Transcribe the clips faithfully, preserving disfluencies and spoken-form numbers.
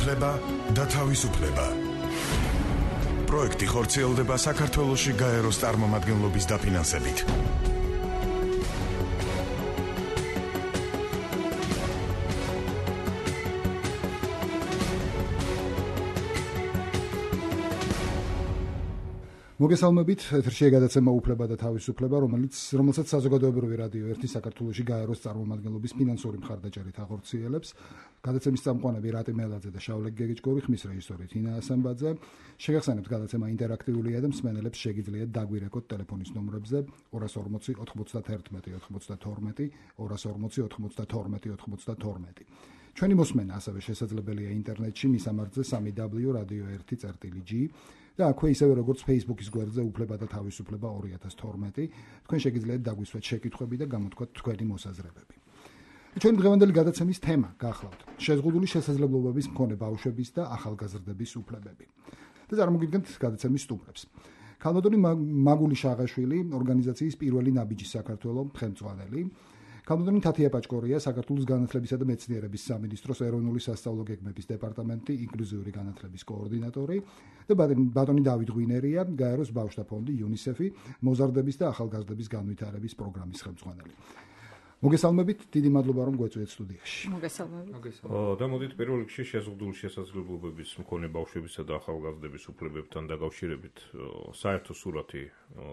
უფლება და თავისუფლება. პროექტი ხორციელდება საქართველოში გაეროს წარმომადგენლობის დაფინანსებით. მოგესალმებით, ეთერშია გადაცემა უფლება და თავისუფლება, რომელიც რომელსაც საზოგადოებრივი რადიო ერთი საქართველოში გაეროს წარმომადგენლობის ფინანსური მხარდაჭერით ახორციელებს. გადაცემის წამყვანები რატი მელაძე და შავლე გეგეჭკორი, ხმის რეჟისორი თინა ასამბაძე. შეგახსენებთ, გადაცემა ინტერაქტიულია და მსმენელებს შეგიძლიათ დაგვირეკოთ ტელეფონის ნომრებზე ორას ორმოცი ოთხმოცდათერთმეტი ოთხმოცდათორმეტი, ორას ორმოცი ოთხმოცდათორმეტი ოთხმოცდათორმეტი. ჩვენი მოსმენა ასევე შესაძლებელია ინტერნეტში მისამართზე სამი დაბლიუ რადიო ერთი წერტილი ჯი და აქვე ისევე როგორც Facebook-ის გვერდზე უფლება და თავისუფლება ორი ათას თორმეტი, თქვენ შეგიძლიათ დაგვისვათ შეკითხვები და გამოთქვათ თქვენი მოსაზრებები. ჩვენი დღევანდელი გადაცემის თემა გახლავთ შეზღუდული შესაძლებლობების მქონე ბავშვების და ახალგაზრდების უფლებები. და წარმოგიდგენთ გადაცემის სტუმრებს. ქალბატონი მაგული შაღაშვილი, ორგანიზაციის პირველი ნაბიჯი საქართველოს ხელმძღვანელი, ქალბატონი თათია პაჭკორია, საქართველოს განათლებისა და მეცნიერების სამინისტროს ეროვნული სასწავლო გეგმების დეპარტამენტი ინკლუზიური განათლების კოორდინატორი და ბატონი დავით ღვინერია, გაეროს ბავშვთა ფონდი იუნისეფი, მოზარდების და ახალგაზრდების განვითარების პროგრამის ხელმძღვანელი. მოგესალმებით, დიდი მადლობა რომ გვეწვიეთ სტუდიაში. მოგესალმებით. და მოდით პირველ რიგში შეზღუდული შესაძლებლობების მქონე ბავშვებისა და ახალგაზრდების უფლებებთან დაკავშირებით საერთო სურათი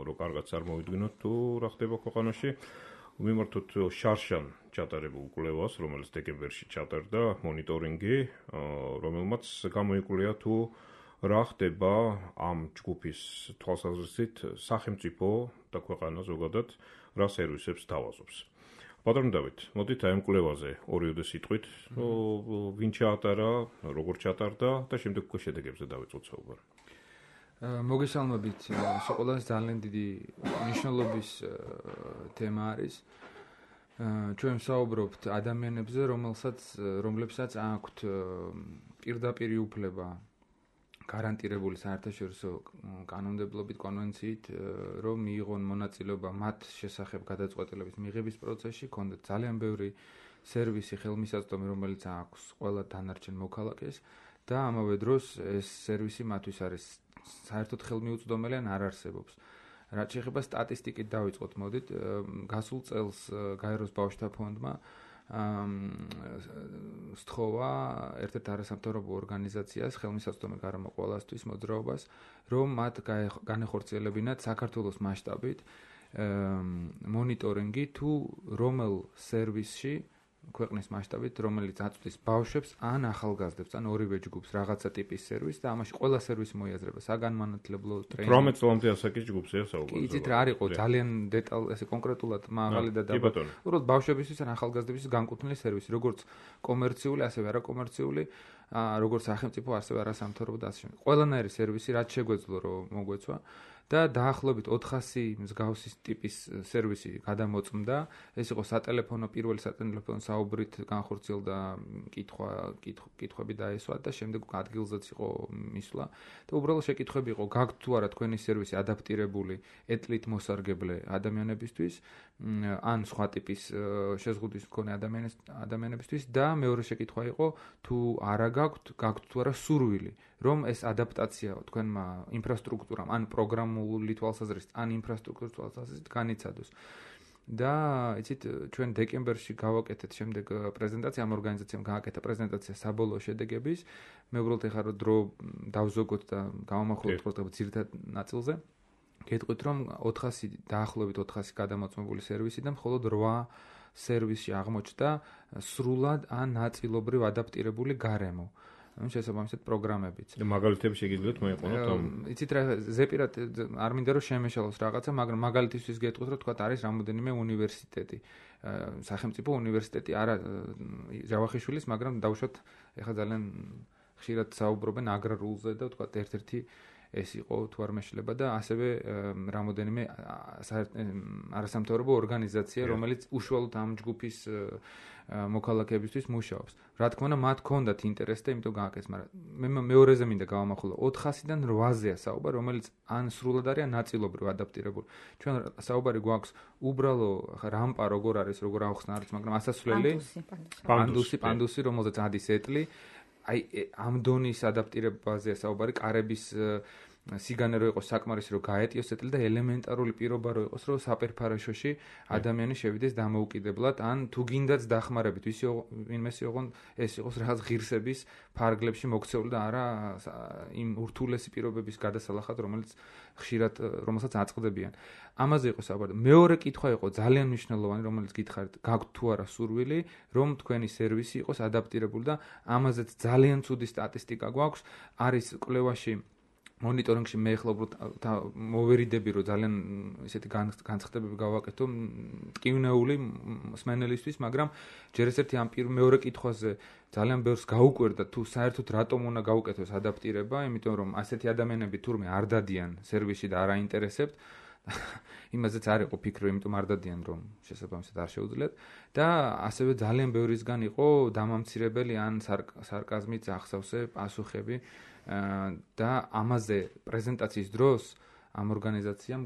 რო კარგად წარმოვიდგინოთ თუ რა ხდება ქვეყანაში. მიმართოთ შარშან ჩატარებულ კვლევას, რომელიც დეკემბერში ჩატარდა, მონიტორინგი, რომელმაც გამოიკვლია თუ რა ხდება ამ ჯგუფის თვალსაზრისით სახელმწიფო და ქვეყანა ზოგადად რა სერვისებს თავაზობს. ბატონო დავით, მოდით აი ამ კვლევაზე ორიოდე სიტყვით, ვინ ჩაატარა, როგორ ჩატარდა და შემდეგ უკვე შედეგებზე დავიწყოთ საუბარი. მოგესალმებით, სიყოლას ძალიან დიდი მნიშვნელობის თემა არის. ჩვენ ვსაუბრობთ ადამიანებზე, რომელსაც რომლებსაც აქვთ პირდაპირი უფლება გარანტირებული საერთაშორისო კანონმდებლობით კონვენციით, რომ მიიღონ მონაწილეობა მათ შესახებ გადაწყვეტილების მიღების პროცესში, ქონდათ ძალიან ბევრი სერვისი, ხელმისაწვდომი, რომელიც აქვს ყველა დანარჩენ მოქალაქეს და ამავე დროს ეს სერვისი მათთვის არის საერთოდ ხელმიუწვდომელი ან არ არსებობს. რაც შეეხება სტატისტიკით დავიწყოთ, მოდით, გასულ წელს გაეროს ბავშვთა ფონდმა სთხოვა ერთ-ერთ არასამთავრობო ორგანიზაციას ხელმისაწვდომი გარემო ყველასთვის მოძრაობას, რომ მათ განეხორციელებინათ საქართველოს მასშტაბით მონიტორინგი თუ რომელ სერვისში ქვეყნის მასშტაბით, რომელიც აწვდის ბავშვებს ან ახალგაზრდებს, ან ორივე ჯგუფს რაღაცა ტიპის სერვისი და ამაში ყველა სერვისი მოიაზრება საგანმანათლებლო ტრეინინგი. თვრამეტ წლამდე ასაკის ჯგუფია საუბარი. იცით რა არის, ძალიან დეტალ ესე კონკრეტულად მაღალი და დაბალი. უბრალოდ ბავშვებისთვის ან ახალგაზრდებისთვის განკუთვნილი სერვისი, როგორც კომერციული, ასევე არაკომერციული, როგორც სახელმწიფო, ასევე არასამთავრობო და ასე შემდეგ. ყველანაირი სერვისი, რაც შეგვეძლო რომ მოგვეცვა და დაახლოებით ოთხასი მსგავსი ტიპის სერვისი გადამოწმდა. ეს იყო სატელეფონო, პირველი სატელეფონო საუბრით განხორციელდა კითხვა, კითხვები დაესვა და შემდეგ ადგილზეც იყო მისვლა. და უბრალოდ შეკითხვები იყო, გაქვთ თუ არა თქვენი სერვისი ადაპტირებული ეთლით მოსარგებლე ადამიანებისთვის, ან სხვა ტიპის შეზღუდვის მქონე ადამიანებისთვის და მეორე შეკითხვა იყო, თუ არა გაქვთ, გაქვთ თუ არა სურვილი, რომ ეს ადაპტაცია თქვენმა ინფრასტრუქტურამ ან პროგრამული თვალსაზრისით, ან ინფრასტრუქტურის თვალსაზრისით განიცადოს. და იცით, ჩვენ დეკემბერში გავაკეთეთ შემდეგ პრეზენტაცია, ამ ორგანიზაციამ გააკეთა პრეზენტაცია საბოლოო შედეგების. მე უბრალოდ ეხლა რომ დრო დავზოგოთ და გავამახვილოთ ყურადღება ძირითად ნაწილზე. გეტყვით, რომ ოთხასი დაახლოებით ოთხასი გადამოწმებული სერვისი და მხოლოდ რვა სერვისში აღმოჩნდა სრულად ან ნაწილობრივ ადაპტირებული გარემო. შესაბამისად პროგრამებიც. და მაგალითები შეგიძლიათ მოიყვანოთ ამ. იცით რა, ზეპირად არ მინდა რომ შემეშალოს რაღაცა, მაგრამ მაგალითისთვის გეტყვით, რომ თქვა არის რამოდენიმე უნივერსიტეტი. სახელმწიფო უნივერსიტეტი არა ჯავახიშვილის, მაგრამ დავუშვათ ეხლა ძალიან ხშირად საუბრობენ აგრარულზე და თქვა ერთ-ერთი ეს იყო თუ არ მეშლება და ასევე რამოდენიმე არასამთავრობო ორგანიზაცია, რომელიც უშუალოდ ამ ჯგუფის მოქალაქეებისთვის მუშაობს. რა თქმა უნდა, მათ ჰქონდათ ინტერესი და იმიტომ გააკეთეს, მაგრამ მე მეორეზე მინდა გავამახვილო ოთხასიდან რვაზეა საუბარი, რომელიც ან სრულად არის, ან ნაწილობრივ ადაპტირებული. ჩვენ საუბარი გვაქვს უბრალო რამპა როგორ არის, როგორ ახსნა არის, მაგრამ ასასვლელი პანდუსი, პანდუსი, რომელზეც ადის ეტლი. აი ამ დონის ადაპტირებაზეა საუბარი, კარების სიგანე რო იყოს საკმარისი რომ გაეტიოს ეტლი და ელემენტარული პირობა რო იყოს რომ საპერფარაშოში ადამიანი შევიდეს დამოუკიდებლად ან თუ გინდაც დახმარებით ვისი ვინმესი ოღონ ეს იყოს რაღაც ღირსების ფარგლებში მოქცეული და არა იმ ურთულესი პირობების გადასალახად რომელიც ხშირად რომელსაც აწყდებიან ამაზე იყო საუბარი მეორე კითხვა იყო ძალიან მნიშვნელოვანი რომელიც გითხარით გაქვთ თუ არა სურვილი რომ თქვენი სერვისი იყოს ადაპტირებული და ამაზეც ძალიან ცუდი სტატისტიკა გვაქვს არის კვლევაში მონიტორინგში მე ახლა უბრალოდ მოვერიდები რომ ძალიან ისეთი განცხადებები გავაკეთო ტკივნეული მსმენელისთვის მაგრამ ჯერ ესეთი ამ მეორე კითხვაზე ძალიან ბევრს გაუკვირდა თუ საერთოდ რატომ უნდა გაუკეთოს ადაპტირება იმიტომ რომ ასეთი ადამიანები თურმე არ დადიან სერვისში და არ აინტერესებთ იმაზეც არ იყო ფიქრი იმიტომ არ დადიან რომ შესაბამისად არ შეუძლიათ და ასევე ძალიან ბევრისგან იყო დამამცირებელი ან სარკაზმით ახსავსე პასუხები და ამაზე პრეზენტაციის დროს ამ ორგანიზაციამ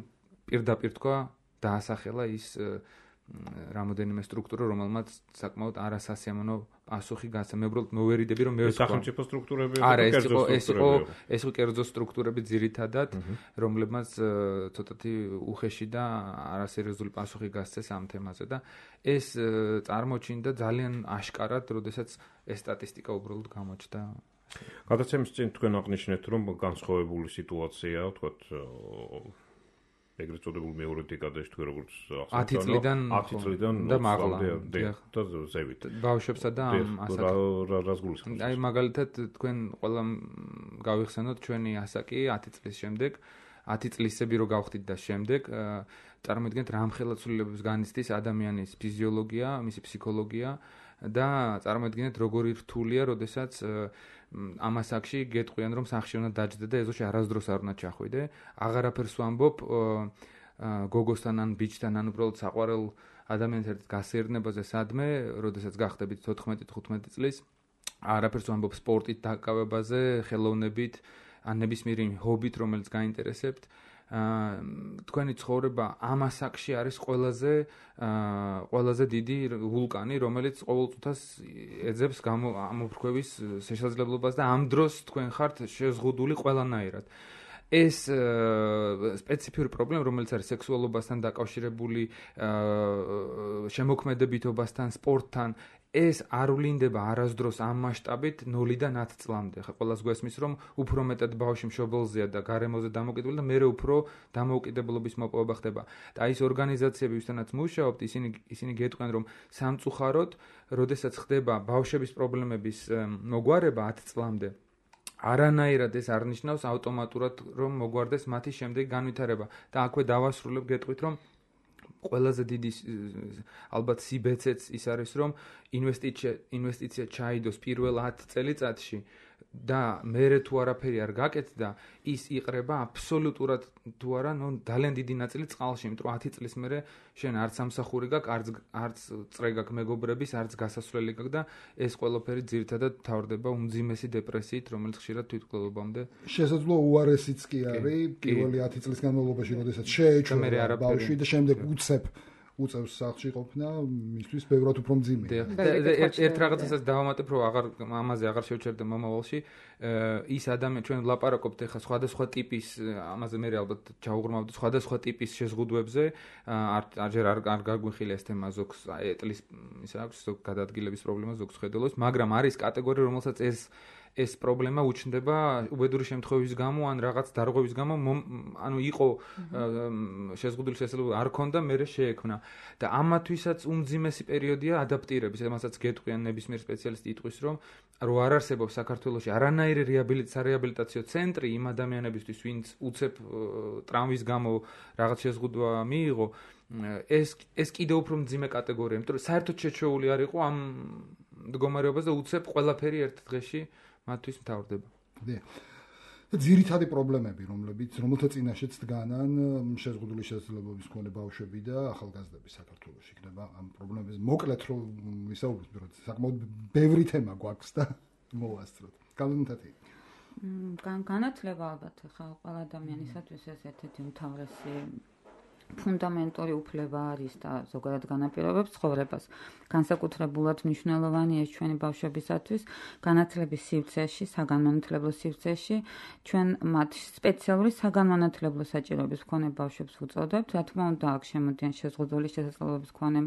პირდაპირ თქვა დაასახელა ის რამოდენიმე სტრუქტურა რომელმაც საკმაოდ არასასიამოვნო პასუხი გასცა მე უბრალოდ მოვერიდები რომ მე სახელმწიფო სტრუქტურები არა ეს იყო ეს იყო ეს იყო კერძო სტრუქტურები ძირითადად რომლებმაც ცოტათი უხეში და არასერიოზული პასუხი გასცეს ამ თემაზე და ეს წარმოჩინდა ძალიან აშკარად როდესაც ეს სტატისტიკა უბრალოდ გამოჩნდა გადაცემის წინ თქვენ აღნიშნეთ რომ განსხვავებული სიტუაციაა ვთქვათ ეგრეთ წოდებული მეორე დეკადაში თქვენ როგორც ათი წლიდან ათი წლიდან და მაღლა და ზევით ბავშვებსა და ასაკი რას გულისხმობთ აი მაგალითად თქვენ ყველა გავიხსენოთ ჩვენი ასაკი ათი წლის შემდეგ ათი წლისები რო გავხდით და შემდეგ წარმოიდგინეთ რამხელა ცვლილებებს განიცდის ადამიანის ფიზიოლოგია მისი ფსიქოლოგია და წარმოიდგინეთ როგორი რთულია როდესაც ამ ასაკში გეტყვიან რომ სახში უნდა დაჯდე და ეზოში არასდროს არ უნდა ჩახვიდე აღარაფერს ვამბობ გოგოსთან ან ბიჭთან ან უბრალოდ საყვარელ ადამიანს ერთად გასეირნებაზე სადმე როდესაც გახდებით თოთხმეტი თხუთმეტი წლის არაფერს ვამბობ სპორტით დაკავებაზე ხელოვნებით ან ნებისმიერი ჰობით რომელიც გაინტერესებთ თქვენი ცხოვრება ამ ასაკში არის ყველაზე ყველაზე დიდი ვულკანი რომელიც ყოველ წუთას ეძებს ამოფრქვევის შესაძლებლობას და ამ დროს თქვენ ხართ შეზღუდული ყველანაირად ეს სპეციფიური პრობლემა რომელიც არის სექსუალობასთან დაკავშირებული შემოქმედებითობასთან სპორტთან ეს არ ვლინდება არასდროს ამ მასშტაბით ნულიდან ათ წლამდე. ხა ყველას გვესმის რომ უფრო მეტად ბავშვი მშობელზეა და გარემოზე დამოკიდებული და მეორე უფრო დამოუკიდებლობის მოპოვება ხდება. და ის ორგანიზაციები ვისთანაც მუშაობთ, ისინი ისინი გეტყვიან რომ სამწუხაროდ, როდესაც ხდება ბავშვების პრობლემების მოგვარება ათ წლამდე არანაირად ეს არ ნიშნავს ავტომატურად რომ მოგვარდეს მათი შემდეგი განვითარება და აქვე დავასრულებ გეტყვით რომ ყველაზე დიდი ალბათ სიბეცეც ის არის რომ ინვესტიცია ინვესტიცია ჩაიდოს პირველ ათ წელიწადში და მერე თუ არაფერი არ გაკეთდა ის იყრება აბსოლუტურად თუ არა ნუ ძალიან დიდი ნაწილი წყალში იმიტომ რომ ათი წლის მერე შენ არც სამსახური გაქვს არც არც წრე გაქვს მეგობრების არც გასასვლელი გაქვს და ეს ყველაფერი ძირითადად თავდება უმძიმესი დეპრესიით რომელიც ხშირად თვითმკვლელობამდე შესაძლოა უარესიც კი არის პირველი ათი წლის განმავლობაში როდესაც შეეჩვენა ბავშვი და შემდეგ უცებ უწევს სახლში ყოფნა მისთვის ბევრად უფრო მძიმეა. ერთ რაღაცასაც დავამატებ რომ აღარ ამაზე აღარ შევჩერდე მომავალში ის ადამიანი ჩვენ ვლაპარაკობთ ახლა სხვადასხვა ტიპის ამაზე მე ალბათ ჩაუღრმავდით სხვადასხვა ტიპის შეზღუდვებზე არ ჯერ არ არ გაგვიხილე ეს თემა ზოგს ეტლის ისა აქვს ზოგ გადაადგილების პრობლემა ზოგს ხედელოს მაგრამ არის კატეგორია რომელსაც ეს ეს პრობლემა უჩნდება უბედური შემთხვევის გამო ან რაღაც დარღვევის გამო ანუ იყო შეზღუდული შესაძლებლობა არ ქონდა მერე შეექმნა და ამათვისაც უმძიმესი პერიოდია ადაპტირების ამასაც გეტყვიან ნებისმიერ სპეციალისტი იტყვის რომ რო არ არსებობს საქართველოში არანაირი რეაბილიტაციო ცენტრი იმ ადამიანებისთვის ვინც უცებ ტრავმის გამო რაღაც შეზღუდვა მიიღო ეს ეს კიდევ უფრო მძიმე კატეგორია იმიტომ რომ საერთოდ შეჩეული არ იყო ამ მდგომარეობას და უცებ ყველაფერი ერთ დღეში მათთვის მთავრდება. დიახ. ძირითადი პრობლემები, რომლებიც რომელთა წინაშეც დგანან შეზღუდული შესაძლებლობის მქონე ბავშვები და ახალგაზრდები საქართველოში იქნება ამ პრობლემებზე. მოკლედ რომ ვისაუბროთ, რომ საკმაოდ ბევრი თემა გვაქვს და მოვასწროთ. გამომთათი. განათლება ალბათ ხა ყველა ადამიანისათვის ეს ერთ-ერთი უმთავრესი ფუნდამენტური უფლება არის და ზოგადად განაპირობებს ცხოვრებას. განსაკუთრებულად მნიშვნელოვანია ჩვენი ბავშვებისათვის განათლების სივრცეში, საგანმანათლებლო სივრცეში, ჩვენ მათ სპეციალური საგანმანათლებლო საჭიროების მქონე ბავშვებს ვუწოდებთ. რა თქმა უნდა, აქ შემოდიან შეზღუდული შესაძლებლობის მქონე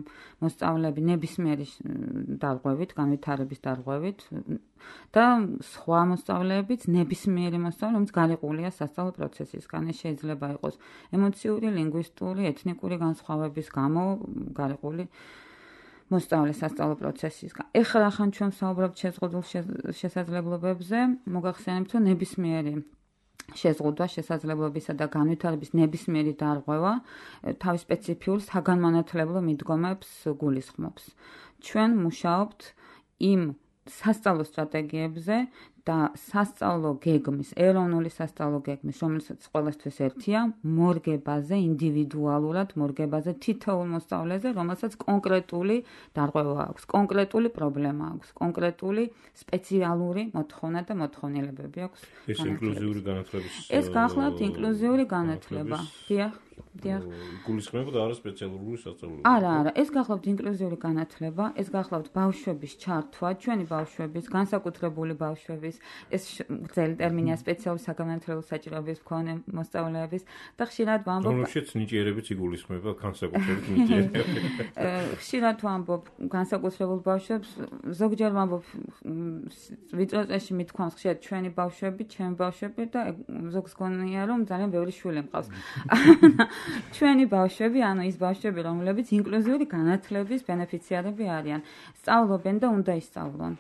მოსწავლეები ნებისმიერი დარღვევით, განვითარების დარღვევით და სხვა მოსწავლეებიც ნებისმიერი მოსწავლე, რომელიც გარიყულია სასწავლო პროცესისგან. ეს შეიძლება იყოს ემოციური, ლინგვისტური, ეთნიკური განსხვავების გამო გარიყული მოსწავლე სასწავლო პროცესისგან. ეხლა რახან ჩვენ ვსაუბრობთ შეზღუდულ შესაძლებლობებზე, მოგახსენებთ, რომ ნებისმიერი შეზღუდვა შესაძლებლობისა და განვითარების ნებისმიერი დარღვევა თავის სპეციფიურ საგანმანათლებლო მიდგომებს გულისხმობს. ჩვენ მუშაობთ იმ სასწავლო სტრატეგიებზე და სასწავლო გეგმის, ეროვნული სასწავლო გეგმის, რომელსაც ყველასთვის ერთია, მორგებაზე, ინდივიდუალურად მორგებაზე თითოეულ მოსწავლეზე, რომელსაც კონკრეტული დარღვევა აქვს, კონკრეტული პრობლემა აქვს, კონკრეტული სპეციალური მოთხოვნა და მოთხოვნილებები აქვს. ეს ინკლუზიური განათლების ეს გახლავთ ინკლუზიური განათლება. დიახ. დიახ. გულისხმობდა არა სპეციალური სასწავლო. არა, არა, ეს გახლავთ ინკლუზიური განათლება, ეს გახლავთ ბავშვების ჩართვა, ჩვენი ბავშვების, განსაკუთრებული ბავშვების, ეს გრძელი ტერმინია სპეციალური საგანმანათლებლო საჭიროების მქონე მოსწავლეების და ხშირად ვამბობ, რომელშიც ნიჭიერებიც იგულისხმება განსაკუთრებით ნიჭიერები. ხშირად ვამბობ განსაკუთრებულ ბავშვებს, ზოგჯერ ვამბობ ვიწრო წესში მithქვამს ხშირად ჩვენი ბავშვები, ჩემი ბავშვები და ზოგს გონია რომ ძალიან ბევრი შვილი მყავს. ჩვენი ბავშვები, ანუ ის ბავშვები, რომლებიც ინკლუზიური განათლების ბენეფიციარები არიან, სწავლობენ და უნდა ისწავლონ.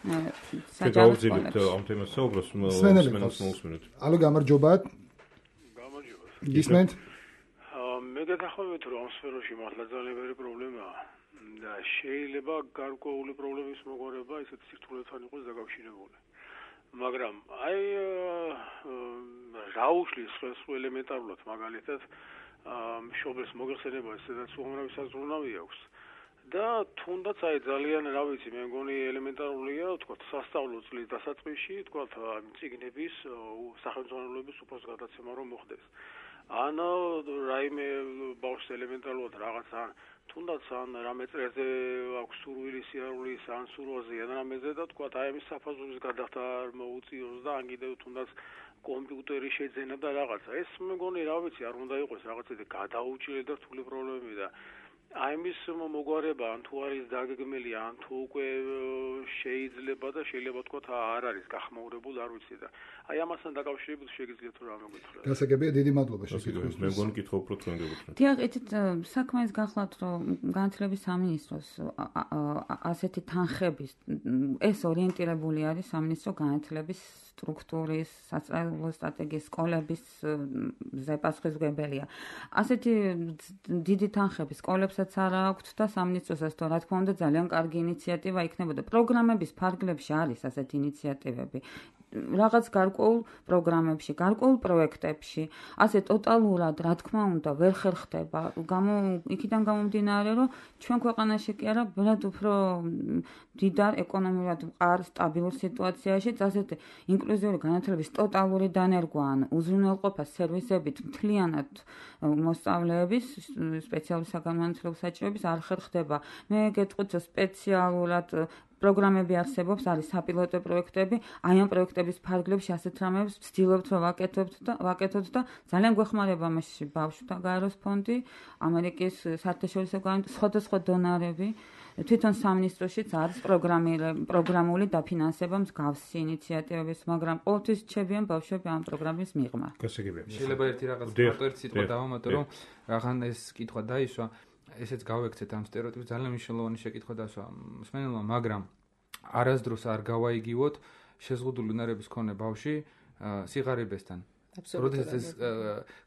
საჯარო სკოლებში. ამ თემას საუბრობს მსმენელს მოусმინოთ. ალო გამარჯობა. გამარჯობა. გისმენთ? მე გეთახმებით რომ ამ სფეროში მართლა ძალიან ბევრი პრობლემაა და შეიძლება გარკვეული პრობლემის მოგვარება ისეთ სირთულეთან იყოს დაკავშირებული. მაგრამ აი რა უშლის ხელს ელემენტარულად მაგალითად მშობელს მოგეხსენება სადაც უამრავი საზრუნავი აქვს და თუნდაც აი ძალიან რა ვიცი მე მგონი ელემენტარულია თქვა სასწავლო წლის დასაწყისში თქვა წიგნების სახელმძღვანელოების უფროს გადაცემა რომ მოხდეს ან რაიმე ბავშვს ელემენტარულად რაღაც ან თუნდაც ან რამე წრეზე აქვს სურვილი სიარულის ან სურვაზე ან რამეზე და თქვა აი ამის საფაზურის გადახდა არ მოუწიოს და ან კიდევ თუნდაც კომპიუტერი შეძენა და რაღაცა ეს მე მგონი რა ვიცი არ უნდა იყოს რაღაცა გადაუჭირე და რთული პრობლემები და აი ამის მოგვარება ან თუ არის დაგეგმილი ან თუ უკვე შეიძლება და შეიძლება თქვა არ არის გახმაურებული არ ვიცი და აი ამასთან დაკავშირებით შეგიძლიათ რომ ამოგითხრათ. გასაგებია დიდი მადლობა შეკითხვის. მე მგონი კითხვა უფრო თქვენ გეკითხეთ. დიახ, ეთით საქმეს გახლავთ რომ განათლების სამინისტროს ასეთი თანხების ეს ორიენტირებული არის სამინისტრო განათლების სტრუქტურის, სასწავლო სტრატეგიის, სკოლების ზეპასუხისმგებელია. ასეთი დიდი თანხები სკოლებსაც არ აქვთ და სამინისტროსაც თო რა თქმა უნდა ძალიან კარგი ინიციატივა იქნებოდა. პროგრამების ფარგლებში არის ასეთი ინიციატივები. რაღაც გარკვეულ პროგრამებში, გარკვეულ პროექტებში, ასე ტოტალურად, რა თქმა უნდა, ვერ ხერხდება. გამო იქიდან გამომდინარე, რომ ჩვენ ქვეყანაში კი არა, ბევრად უფრო დიდარ ეკონომიურად მყარ სტაბილურ სიტუაციაში, ასეთი ინკლუზიური განათლების ტოტალური დანერგვა ან უზრუნველყოფა სერვისებით მთლიანად მოსწავლეების სპეციალური საგანმანათლებლო საჭიროების არ ხერხდება. მე გეტყვით, რომ სპეციალურად პროგრამები არსებობს, არის საპილოტო პროექტები, აი ამ პროექტების ფარგლებში ასეთ რამებს ვცდილობთ რომ ვაკეთებთ და ვაკეთოთ და ძალიან გვეხმარება მასში ბავშვთა გაეროს ფონდი, ამერიკის საერთაშორისო სხვადასხვა დონორები, თვითონ სამინისტროშიც არის პროგრამული დაფინანსება მსგავსი ინიციატივების, მაგრამ ყოველთვის რჩებიან ბავშვები ამ პროგრამის მიღმა. შეიძლება ერთი რაღაც პროტესტი სიტყვა დავამატო, რომ რაღან ეს კითხვა დაისვა ესეც გავექცეთ ამ სტერეოტიპს ძალიან მნიშვნელოვანი შეკითხვა დასვა მსმენელმა, მაგრამ არასდროს არ გავაიგივოთ შეზღუდული უნარების მქონე ბავშვი სიღარიბესთან. როდესაც ეს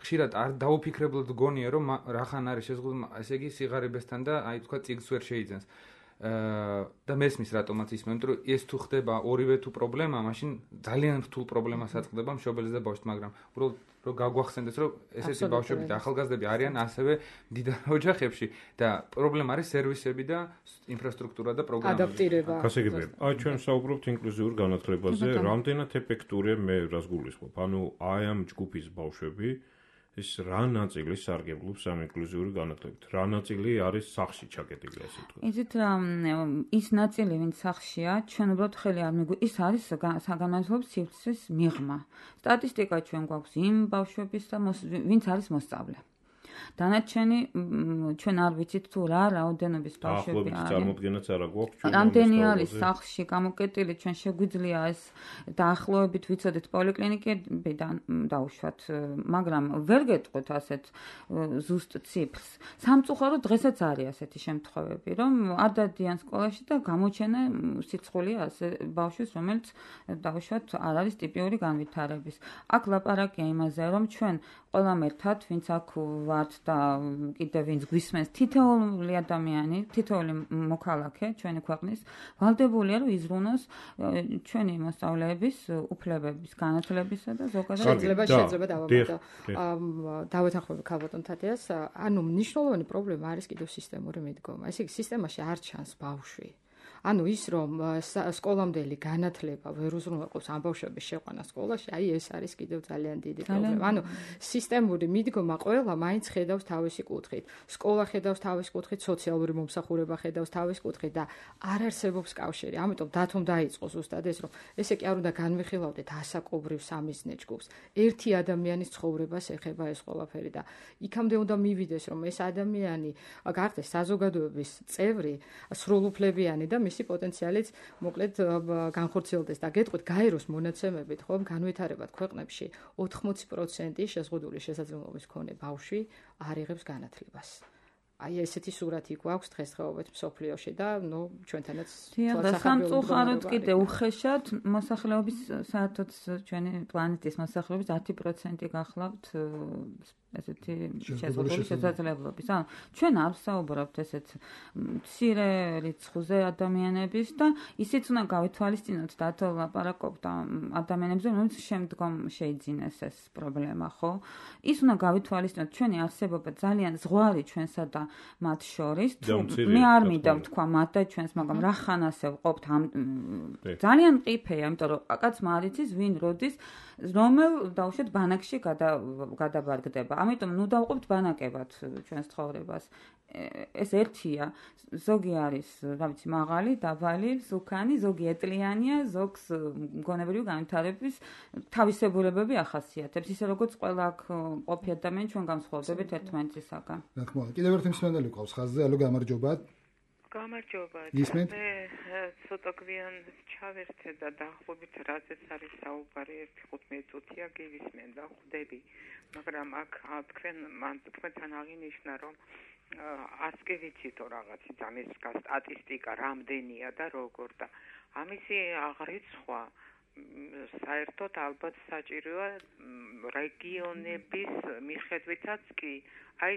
ხშირად არ დაუფიქრებლად გონია, რომ რახან არის შეზღუდული, ესე იგი სიღარიბესთან და აი თქვა წიგნს ვერ შეიძენს. და მესმის რატომაც ისმენ, რომ ეს თუ ხდება ორივე თუ პრობლემა, მაშინ ძალიან რთულ პრობლემას აწყდება მშობელს და ბავშვს, მაგრამ უბრალოდ რომ გაგვახსენდეს, რომ ესეთი ბავშვები და ახალგაზრდები არიან ასევე მდიდარ ოჯახებში და პრობლემა არის სერვისები და ინფრასტრუქტურა და პროგრამები. ადაპტირება. გასაგებია. აი ჩვენ საუბრობთ ინკლუზიურ განათლებაზე, რამდენად ეფექტურია მე რას გულისხმობ. ანუ აი ამ ჯგუფის ბავშვები ის რა ნაწილი სარგებლობს ამ ინკლუზიური განათლებით? რა ნაწილი არის სახში ჩაკეტილი, ასე ვთქვათ? იცით, ის ნაწილი, ვინც სახშია, ჩვენ უბრალოდ ხელი არ მიგვი, ის არის საგანმანათლებლო სივრცის მიღმა. სტატისტიკა ჩვენ გვაქვს იმ ბავშვების და ვინც არის მოსწავლე. დანარჩენი ჩვენ არ ვიცით თუ რა რაოდენობის ბავშვები არის. წარმოდგენაც არ აქვს ჩვენ. რამდენი არის სახლში გამოკეტილი, ჩვენ შეგვიძლია ეს დაახლოებით ვიცოდეთ პოლიკლინიკებიდან დაუშვათ, მაგრამ ვერ გეტყვით ასეთ ზუსტ ციფრს. სამწუხაროდ დღესაც არის ასეთი შემთხვევები, რომ არ დადიან სკოლაში და გამოჩენა სიცხულია ასე ბავშვის, რომელიც დაუშვათ არ არის ტიპიური განვითარების. აქ ლაპარაკია იმაზე, რომ ჩვენ ყველამ ერთად, ვინც აქ ვართ და კიდევ ვინც გვისმენს, თითოეული ადამიანი, თითოეული მოქალაქე ჩვენი ქვეყნის ვალდებულია, რომ იზრუნოს ჩვენი მოსწავლეების უფლებების, განათლებისა და ზოგადად შეიძლება შეიძლება დავამატო. დავეთანხმები ქალბატონ თათიას, ანუ მნიშვნელოვანი პრობლემა არის კიდევ სისტემური მიდგომა. ესე იგი, სისტემაში არ ჩანს ბავშვი. ანუ ის რომ სკოლამდელი განათლება ვერ უზრუნველყოფს ამ ბავშვების შეყვანა სკოლაში, აი ეს არის კიდევ ძალიან დიდი პრობლემა. ანუ სისტემური მიდგომა ყველა მაინც ხედავს თავისი კუთხით. სკოლა ხედავს თავის კუთხით, სოციალური მომსახურება ხედავს თავის კუთხით და არ არსებობს კავშირი. ამიტომ დათომ დაიწყო ზუსტად ეს რომ ესე კი არ უნდა განვიხილავდეთ ასაკობრივ სამიზნე ჯგუფს. ერთი ადამიანის ცხოვრებას ეხება ეს ყველაფერი და იქამდე უნდა მივიდეს რომ ეს ადამიანი გახდეს საზოგადოების წევრი, სრულუფლებიანი და მისი პოტენციალიც მოკლედ განხორციელდეს და გეტყვით გაეროს მონაცემებით, ხო, განვითარებად ქვეყნებში ოთხმოცი პროცენტი შეზღუდული შესაძლებლობის მქონე ბავშვი არ იღებს განათლებას. აი ესეთი სურათი გვაქვს დღესდღეობით მსოფლიოში და ნუ ჩვენთანაც სამწუხაროდ კიდე უხეშად მოსახლეობის საერთოდ ჩვენი პლანეტის მოსახლეობის ათი პროცენტი გახლავთ ესეთი შეზღუდული შესაძლებლობის. ანუ ჩვენ არ ვსაუბრობთ ესეთ მცირე რიცხვზე ადამიანების და ისიც უნდა გავითვალისწინოთ დათო ლაპარაკობთ ადამიანებზე, რომელიც შემდგომ შეიძინეს ეს პრობლემა, ხო? ის უნდა გავითვალისწინოთ ჩვენი არსებობა ძალიან ზღვარი ჩვენსა და მათ შორის. მე არ მინდა ვთქვა მათ და ჩვენს, მაგრამ რა ხანასე ვყოფთ ამ ძალიან მყიფეა, იმიტომ რომ კაცმა არ იცის ვინ როდის რომელ დაუშვათ ბანაკში გადაბარგდება. ამიტომ ნუ დავყოფთ ბანაკებად ჩვენს ცხოვრებას. ეს ერთია, ზოგი არის, რა ვიცი, მაღალი, დაბალი, სუქანი, ზოგი ეტლიანია, ზოგს მგონებრივი განვითარების თავისებურებები ახასიათებს. ისე როგორც ყველა აქ ყოფი ადამიანი ჩვენ განსხვავდებით ერთმანეთისაგან. რა თქმა უნდა, კიდევ ერთი მსმენელი ყავს ხაზზე, ალო გამარჯობა. გამარჯობა. მე ცოტა გვიან ჩავერთე და დაახლოებით რაზეც არის საუბარი ერთი ხუთმეტი წუთია გივისმენ და ხვდები. მაგრამ აქ თქვენ თქვენთან აღინიშნა რომ არც კი ვიცითო რაღაცი ამის სტატისტიკა რამდენია და როგორ და ამისი აღრიცხვა საერთოდ ალბათ საჭიროა რეგიონების მიხედვითაც კი აი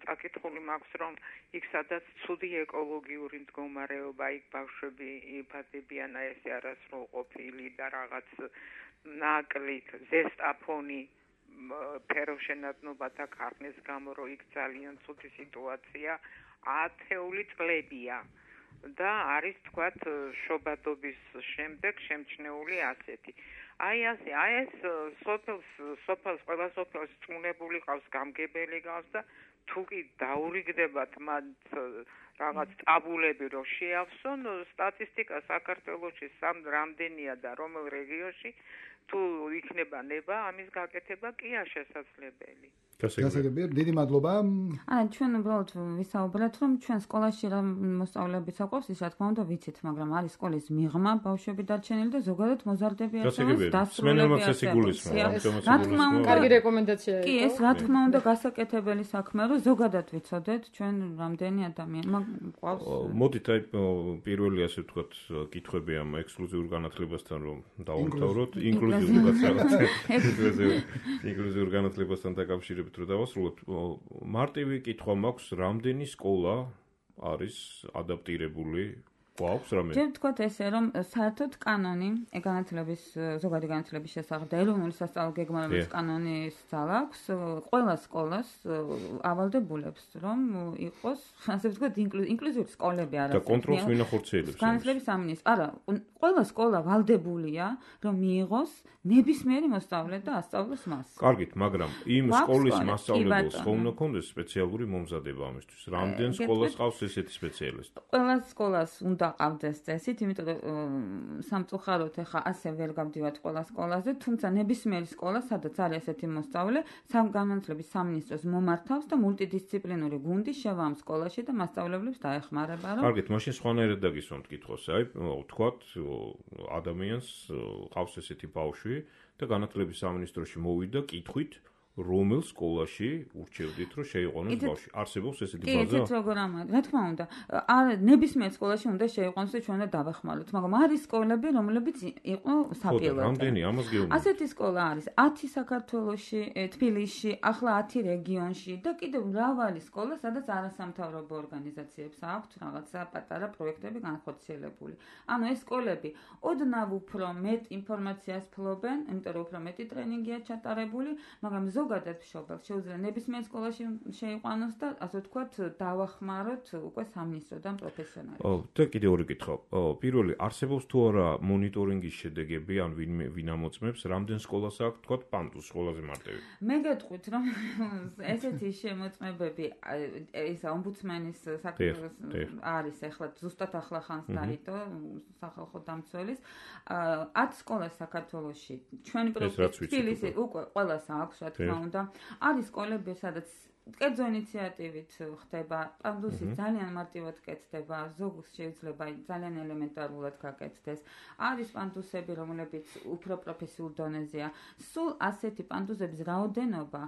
წაკითხული მაქვს რომ იქ სადაც ცუდი ეკოლოგიური მდგომარეობა იქ ბავშვები იფარდებიან აი ესე არასრულყოფილი და რაღაც ნაკლით ზესტაფონი ფეროშენადნობათა ქარხნის გამო რომ იქ ძალიან ცუდი სიტუაცია ათეული წლებია და არის თქვათ შობადობის შემდეგ შემჩნეული ასეთი აი ასე აი ეს სოფელს სოფელს ყველა სოფელს წუნებული ყავს გამგებელი ყავს და თუ კი დაურიგდებათ მათ რაღაც ტაბულები რომ შეავსონ სტატისტიკა საქართველოში სამ რამდენია და რომელ რეგიონში თუ იქნება ნება ამის გაკეთება კია შესაძლებელი. გასაგებია, დიდი მადლობა. არა, ჩვენ უბრალოდ ვისაუბრეთ, რომ ჩვენ სკოლაში რა მოსწავლებიც აყვავს, ის რა თქმა უნდა ვიცით, მაგრამ არის სკოლის მიღმა ბავშვები დარჩენილი და ზოგადად მოზარდები არსებობს, დასრულებები არსებობს. რა თქმა უნდა, კარგი რეკომენდაციაა. კი, ეს რა თქმა უნდა გასაკეთებელი საქმეა, რომ ზოგადად ვიცოდეთ ჩვენ რამდენი ადამიანი გვყავს. მოდით აი პირველი ასე ვთქვათ კითხვები ამ ექსკლუზიურ განათლებასთან რომ დავუმთავროთ, ინკლუზიურ განათლებასთან, ინკლუზიურ განათლებასთან დაკავშირებით რომ დავასრულოთ, მარტივი კითხვა მაქვს, რამდენი სკოლა არის ადაპტირებული გვაქვს რამე? ჯერ ვთქვათ ესე, რომ საერთოდ კანონი, განათლების ზოგადი განათლების შესახებ და ეროვნული სასწავლო გეგმარების კანონის ძალა აქვს ყველა სკოლას ავალდებულებს, რომ იყოს, ასე ვთქვათ, ინკლუზიური სკოლები არა. და კონტროლს ვინ ახორციელებს? განათლების სამინისტრო. არა, ყველა სკოლა ვალდებულია, რომ მიიღოს ნებისმიერი მოსწავლე და ასწავლოს მას. კარგით, მაგრამ იმ სკოლის მასწავლებელს ხომ უნდა ქონდეს სპეციალური მომზადება ამისთვის? რამდენ სკოლას ყავს ესეთი სპეციალისტი? ყველა სკოლას უნდა ყავდეს წესით, იმიტომ რომ სამწუხაროდ ახლა ასე ვერ გავდივართ ყველა სკოლაზე, თუმცა ნებისმიერი სკოლა, სადაც არის ესეთი მოსწავლე, სამგანათლების სამინისტროს მომართავს და მულტიდისციპლინური გუნდი შევა ამ სკოლაში და მასწავლებლებს დაეხმარება, რომ კარგით, მაშინ სხვანაირად დაგისვამთ კითხვას. აი, ვთქვათ, ადამიანს ყავს ესეთი ბავშვი და განათლების სამინისტროში მოვიდა კითხვით, რომელ სკოლაში ურჩევდით, რომ შეიყვანოს ბავშვი? არსებობს ესეთი ბაზა? კი, ისეთ როგორ ამაა. რა თქმა უნდა, არ ნებისმიერ სკოლაში უნდა შეიყვანოს და ჩვენ უნდა დავეხმაროთ, მაგრამ არის სკოლები, რომლებიც იყო საპილოტო. რამდენი ამას გეუბნებით? ასეთი სკოლა არის ათი საქართველოში, თბილისში, ახლა ათი რეგიონში და კიდევ მრავალი სკოლა, სადაც არასამთავრობო ორგანიზაციებს აქვთ რაღაცა პატარა პროექტები განხორციელებული. ანუ ეს სკოლები ოდნავ უფრო მეტ ინფორმაციას ფლობენ, იმიტომ რომ უფრო მეტი ტრენინგია ჩატარებული, მაგრამ ზოგადად მშობელს შეუძლია ნებისმიერ სკოლაში შეიყვანოს და ასე ვთქვათ დავახმაროთ უკვე სამინისტროდან პროფესიონალებს. ო, და კიდევ ორი კითხვა. პირველი, არსებობს თუ არა მონიტორინგის შედეგები, ან ვინ ვინ ამოწმებს, რამდენ სკოლას აქვს, ვთქვათ, პანტუს სკოლაზე მარტივი? მე გეტყვით, რომ ესეთი შემოწმებები, ისა ომბუდსმენის საკითხი არის ახლა ზუსტად ახლა ხანს დაიდო სახალხო დამცველის ათ სკოლას საქართველოში. ჩვენი პროფესიით უკვე ყველას აქვს, რა თქმა უნდა. არის სკოლები, სადაც კერძო ინიციატივით ხდება, პანდუსი ძალიან მარტივად კეთდება, ზოგს შეიძლება ძალიან ელემენტარულად გაკეთდეს. არის პანდუსები, რომლებიც უფრო პროფესიულ დონეზეა. სულ ასეთი პანდუსების რაოდენობა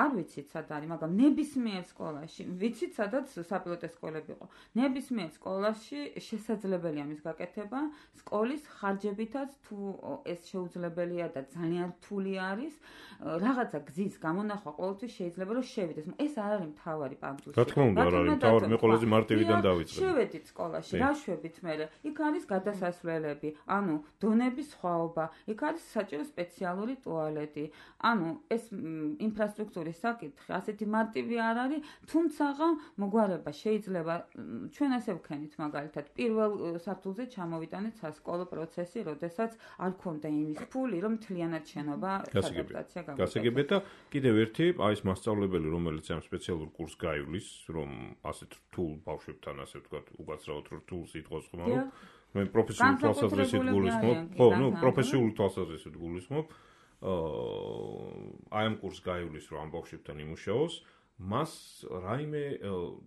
არ ვიცით სად არის, მაგრამ ნებისმიერ სკოლაში, ვიცით სადაც საპილოტო სკოლები იყო. ნებისმიერ სკოლაში შესაძლებელია მის გაკეთება, სკოლის ხარჯებითაც თუ ეს შეუძლებელია და ძალიან რთული არის, რაღაცა გზის გამონახვა ყოველთვის შეიძლება რომ შევიდეს. ეს არ არის მთავარი პანდუსი. რა თქმა უნდა, არ არის მთავარი, მე ყველაზე მარტივიდან დავიწყე. შევედით სკოლაში, რა შვებით მე? იქ არის გადასასვლელები, ანუ დონების სხვაობა, იქ არის საჭირო სპეციალური ტუალეტი. ანუ ეს ინფრასტრუქტურის საკითხი ასეთი მარტივი არ არის, თუმცა მოგვარება შეიძლება ჩვენ ასე ვქენით მაგალითად პირველ სართულზე ჩამოვიტანეთ სასკოლო პროცესი, როდესაც არ ქონდა იმის ფული, რომ მთლიანად შენობა ადაპტაცია გავაკეთოთ. გასაგებია და კიდევ ერთი, აი ეს მასწავლებელი, რომელიც ამ სპეციალურ კურსს გაივლის, რომ ასეთ რთულ ბავშვებთან, ასე ვთქვათ, უკაცრავად რთულ სიტყვას ხმარო, მე პროფესიული თვალსაზრისით გულისხმობ, ხო, ნუ პროფესიული თვალსაზრისით გულისხმობ, აი ამ კურსს გაივლის, რომ ამ ბავშვებთან იმუშაოს, მას რაიმე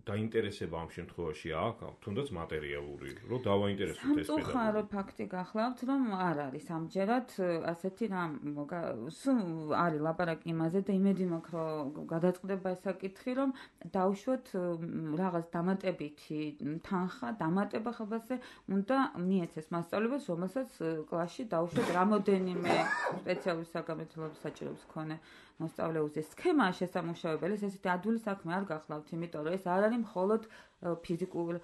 დაინტერესება ამ შემთხვევაში აქვს, თუნდაც მატერიალური, რომ დავაინტერესოთ ეს პედაგოგი. სამწუხარო ფაქტი გახლავთ, რომ არ არის ამჯერად ასეთი რამ, სულ არის ლაპარაკი იმაზე და იმედი მაქვს, რომ გადაწყდება ეს საკითხი, რომ დავუშვოთ რაღაც დამატებითი თანხა, დამატება ხალხზე უნდა მიეცეს მასწავლებელს, რომელსაც კლასში დავუშვოთ რამოდენიმე სპეციალური საგანმანათლებლობის საჭიროების მქონე მოსწავლეზე. სქემაა შესამუშავებელი, ესეთი ადვილი საქმე არ გახლავთ, იმიტომ რომ ეს არ არის მხოლოდ ფიზიკურ,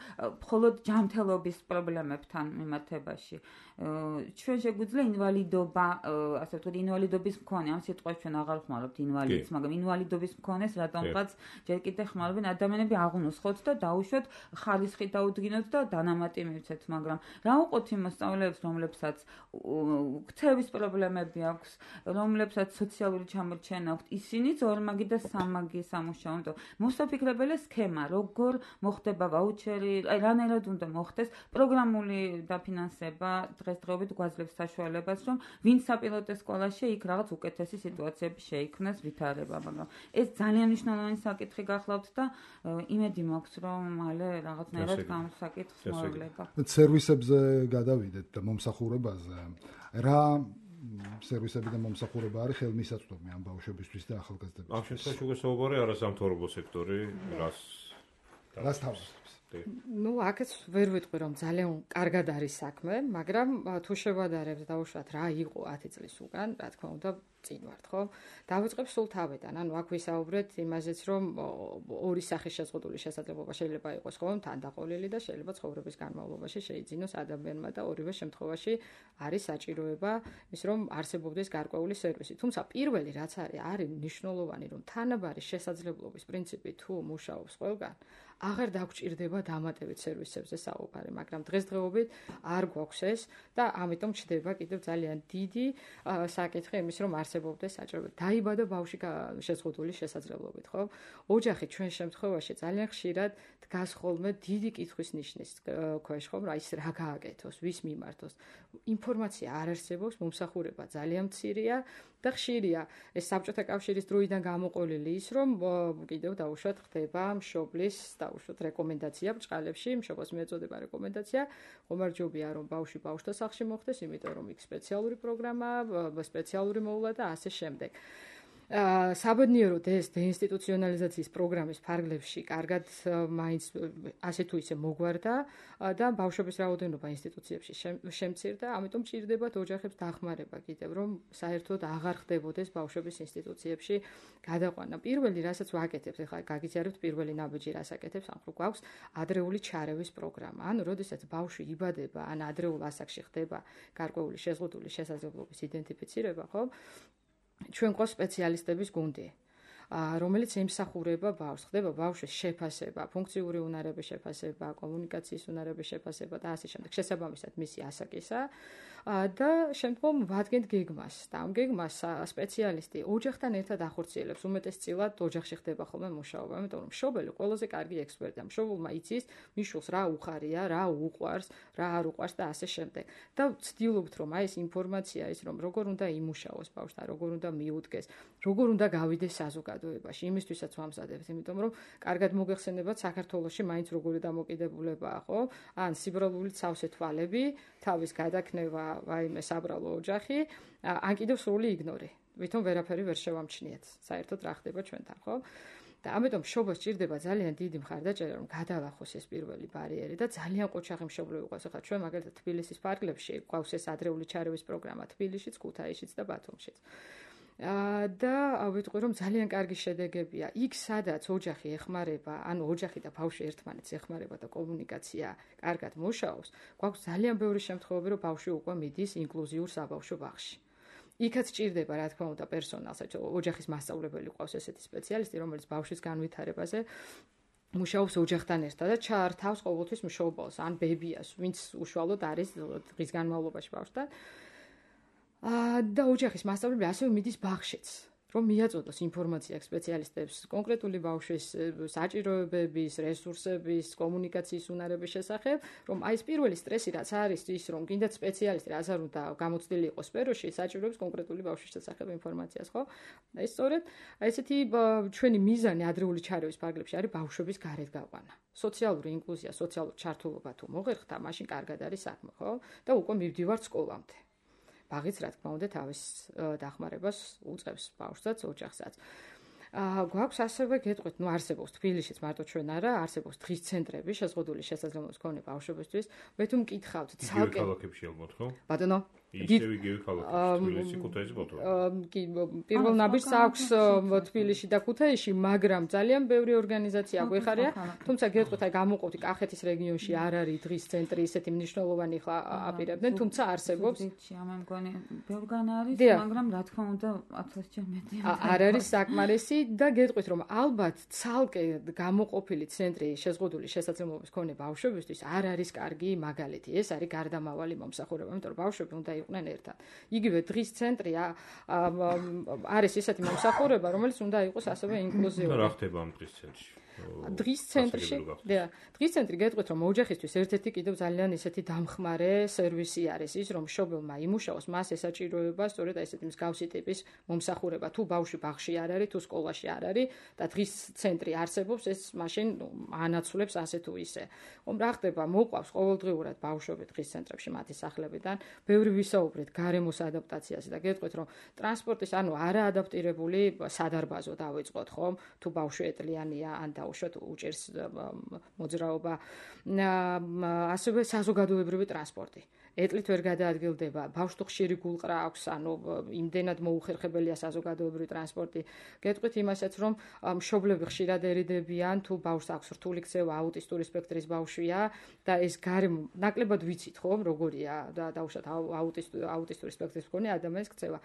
მხოლოდ ჯანმრთელობის პრობლემებთან მიმართებაში. ჩვენ შეგვიძლია ინვალიდობა, ასე ვთქვათ, ინვალიდობის მქონე, ამ სიტყვას ჩვენ აღარ ხმარობთ ინვალიდს, მაგრამ ინვალიდობის მქონეს რატომღაც ჯერ კიდევ ხმარობენ ადამიანები აღუნუსხოთ და დაუშვოთ ხარისხი დაუდგინოთ და დანამატი მივცეთ, მაგრამ რა უყოთ იმ მოსწავლეებს, რომლებსაც ქცევის პრობლემები აქვს, რომლებსაც სოციალური ჩამორჩენა აქვთ, ისინიც ორმაგი და სამმაგი სამუშაო. მოსაფიქრებელია სქემა, როგორ მოხდება ვაუჩერი, აი რანაირად უნდა მოხდეს პროგრამული დაფინანსება დღესდღეობით გვაძლევს საშუალებას, რომ ვინც საპილოტო სკოლაში იქ რაღაც უკეთესი სიტუაციები შეიქმნას ვითარება, მაგრამ ეს ძალიან მნიშვნელოვანი საკითხი გახლავთ და იმედი მაქვს, რომ მალე რაღაცნაირად გამოსაკითხს მოვლება. სერვისებზე გადავიდეთ და მომსახურებაზე. რა სერვისები და მომსახურება არის ხელმისაწვდომი ამ ბავშვებისთვის და ახალგაზრდებისთვის. ამ შემთხვევაში უკვე საუბარი არასამთავრობო სექტორი, რას რას თავაზობს? ნუ აქაც ვერ ვიტყვი რომ ძალიან კარგად არის საქმე, მაგრამ თუ შევადარებთ დავუშვათ რა იყო ათი წლის უკან, რა თქმა უნდა წინ ვართ, ხო? დავიწყებ სულ თავიდან. ანუ აქ ვისაუბრეთ იმაზეც, რომ ორი სახის შეზღუდული შესაძლებლობა შეიძლება იყოს, ხო? თანდაყოლილი და შეიძლება ცხოვრების განმავლობაში შეიძინოს ადამიანმა და ორივე შემთხვევაში არის საჭიროება ის, რომ არსებობდეს გარკვეული სერვისი. თუმცა პირველი რაც არის, არის მნიშვნელოვანი, რომ თანაბარი შესაძლებლობის პრინციპი თუ მუშაობს ყველგან, აღარ დაგჭირდება დამატებით სერვისებზე საუბარი, მაგრამ დღესდღეობით არ გვაქვს ეს და ამიტომ ჩდება კიდევ ძალიან დიდი საკითხი იმის, რომ არსებობდეს საჭიროება. დაიბადა ბავშვი შეზღუდული შესაძლებლობით, ხო? ოჯახი ჩვენ შემთხვევაში ძალიან ხშირად დგას ხოლმე დიდი კითხვის ნიშნის ქვეშ, ხო? რა ის რა გააკეთოს, ვის მიმართოს. ინფორმაცია არ არსებობს, მომსახურება ძალიან მცირეა და ხშირია ეს საბჭოთა კავშირის დროიდან გამოყოლილი ის, რომ კიდევ დაუშვათ ხდება მშობლის დაუშვათ რეკომენდაცია ბჭყალებში, მშობელს მიეწოდება რეკომენდაცია, ხომარჯობია რომ ბავშვი ბავშვთა სახლში მოხდეს, იმიტომ რომ იქ სპეციალური პროგრამა, სპეციალური მოვლა და ასე შემდეგ. საბედნიეროდ ეს დეინსტიტუციონალიზაციის პროგრამის ფარგლებში კარგად მაინც ასე თუ ისე მოგვარდა და ბავშვების რაოდენობა ინსტიტუციებში შემცირდა, ამიტომ ჭირდებათ ოჯახებს დახმარება კიდევ, რომ საერთოდ აღარ ხდებოდეს ბავშვების ინსტიტუციებში გადაყვანა. პირველი რასაც ვაკეთებთ, ეხლა გაგიზიარებთ პირველი ნაბიჯი რას აკეთებს, ან გვაქვს ადრეული ჩარევის პროგრამა. ანუ როდესაც ბავშვი იბადება, ან ადრეულ ასაკში ხდება გარკვეული შეზღუდული შესაძლებლობის იდენტიფიცირება, ხო? ჩვენ ყავს სპეციალისტების გუნდი, რომელიც ემსახურება ბავშვს, ხდება ბავშვის შეფასება, ფუნქციური უნარების შეფასება, კომუნიკაციის უნარების შეფასება და ასე შემდეგ. შესაბამისად მისი ასაკისა და შემდგომ ვადგენთ გეგმას. და ამ გეგმას სპეციალისტი ოჯახთან ერთად ახორციელებს, უმეტესწილად ოჯახში ხდება ხოლმე მუშაობა, იმიტომ რომ მშობელი ყველაზე კარგი ექსპერტია. მშობელმა იცის მიშულს რა უხარია, რა უყვარს, რა არ უყვარს და ასე შემდეგ. და ვცდილობთ რომ აი ეს ინფორმაცია ის რომ როგორ უნდა იმუშაოს ბავშვთან, როგორ უნდა მიუდგეს, როგორ უნდა გავიდეს საზოგადოებაში, იმისთვისაც ვამზადებთ, იმიტომ რომ კარგად მოგეხსენებათ საქართველოში მაინც როგორი დამოკიდებულებაა, ხო? ან სიბრალული ცავსე თვალები, თავის გადაკნევა ვაიმე საბრალო ოჯახი, ან კიდევ სრული იგნორი. ვითომ ვერაფერი ვერ შევამჩნიეთ. საერთოდ რა ხდება ჩვენთან, ხო? და ამიტომ მშობელს ჭირდება ძალიან დიდი მხარდაჭერა, რომ გადავახოს ეს პირველი ბარიერი და ძალიან ყოჩაღი მშობლები ყავს. ახლა ჩვენ მაგალითად თბილისის ფარგლებში გვაქვს ეს ადრეული ჩარევის პროგრამა თბილისშიც, ქუთაისშიც და ბათუმშიც. და ვიტყვი რომ ძალიან კარგი შედეგებია. იქ სადაც ოჯახი ეხმარება, ანუ ოჯახი და ბავშვი ერთმანეთს ეხმარება და კომუნიკაცია კარგად მუშაობს, გვაქვს ძალიან ბევრი შემთხვევები, რომ ბავშვი უკვე მიდის ინკლუზიურ საბავშვო ბაღში. იქაც ჭირდება, რა თქმა უნდა, პერსონალს, ოჯახის მასწავლებელი ყავს ესეთი სპეციალისტი, რომელიც ბავშვის განვითარებაზე მუშაობს ოჯახთან ერთად და ჩაართავს ყოველთვის მშობელს, ან ბებიას, ვინც უშუალოდ არის დღის განმავლობაში ბავშვთან. და ოჯახის მასწავლებელი ასევე მიდის ბაღშიც, რომ მიაწოდოს ინფორმაცია სპეციალისტებს კონკრეტული ბავშვის საჭიროებების, რესურსების, კომუნიკაციის უნარების შესახებ, რომ აი ეს პირველი სტრესი რაც არის ის, რომ კიდაც სპეციალისტი რაც არ უნდა გამოცდილი იყოს სფეროში, საჭიროებს კონკრეტული ბავშვის შესახებ ინფორმაციას, ხო? აი სწორედ აი ესეთი ჩვენი მიზანი ადრეული ჩარევის ფარგლებში არის ბავშვების გარეთ გაყვანა. სოციალური ინკლუზია, სოციალური ჩართულობა თუ მოღერხდა, მაშინ კარგად არის საქმე, ხო? და უკვე მივდივართ სკოლამდე. ბაღიც რა თქმა უნდა თავის დახმარებას უწყებს ბავშვსაც, ოჯახსაც. გვაქვს ასევე გეტყვით, ნუ არსებობს თბილისშიც მარტო ჩვენ არა, არსებობს დღის ცენტრები, შეზღუდული შესაძლებლობის მქონე ბავშვებისთვის. მე თუ მკითხავთ, ცალკე ქალაქებში ალბათ, ხო? ბატონო, ისევ იგივე ქალაქებში, თბილისი, ქუთაისი, ბათუმი. კი, პირველ ნაბიჯს აქვს თბილისში და ქუთაისში, მაგრამ ძალიან ბევრი ორგანიზაცია გვეხარია, თუმცა გეტყვით, აი გამოყოფთ კახეთის რეგიონში არ არის დღის ცენტრი ისეთი მნიშვნელოვანი ხა აპირებდნენ, თუმცა არსებობს. ამან მგონი ბევრგან არის, მაგრამ რა თქმა უნდა ათასჯერ მეტი. არ არის საკმარისი და გეტყვით, რომ ალბათ ცალკე გამოყოფილი ცენტრი შეზღუდული შესაძლებლობის მქონე ბავშვებისთვის არ არის კარგი მაგალითი. ეს არის გარდამავალი მომსახურება, იმიტომ რომ ბავშვები უნდა იყვნენ ერთად. იგივე დღის ცენტრი არის ისეთი მომსახურება, რომელიც უნდა იყოს ასევე ინკლუზიური. რა ხდება ამ დღის ცენტრში? დღის ცენტრში, და დღის ცენტრი გეტყვით, რომ ოჯახისთვის ერთ-ერთი კიდევ ძალიან ისეთი დამხმარე სერვისი არის ის, რომ მშობელმა იმუშაოს, მას ესაჭიროება სწორედ ესეთი მსგავსი ტიპის მომსახურება. თუ ბავშვი ბაღში არ არის, თუ სკოლაში არ არის და დღის ცენტრი არსებობს, ეს მაშინ ანაცვლებს ასე თუ ისე. ხომ რა ხდება, მოყვავს ყოველდღიურად ბავშვები დღის ცენტრებში მათი სახლებიდან, ბევრი ვისაუბრეთ გარემოს ადაპტაციაზე და გეტყვით, რომ ტრანსპორტის, ანუ არაადაპტირებული სადარბაზო დავიწყოთ, ხომ? თუ ბავშვი ეტლიანია ან და დაუშვათ უჭერს მოძრაობა. ასევე საზოგადოებრივი ტრანსპორტი. ეტლით ვერ გადაადგილდება, ბავშვთა ხშირი გულყრა აქვს, ანუ იმდენად მოუხერხებელია საზოგადოებრივი ტრანსპორტი. გეტყვით იმასაც, რომ მშობლები ხშირად ერიდებიან, თუ ბავშვს აქვს რთული ქცევა, აუტისტური სპექტრის ბავშვია და ეს გარემო ნაკლებად ვიცით, ხო, როგორია და დაუშვათ აუტისტური სპექტრის მქონე ადამიანის ქცევა.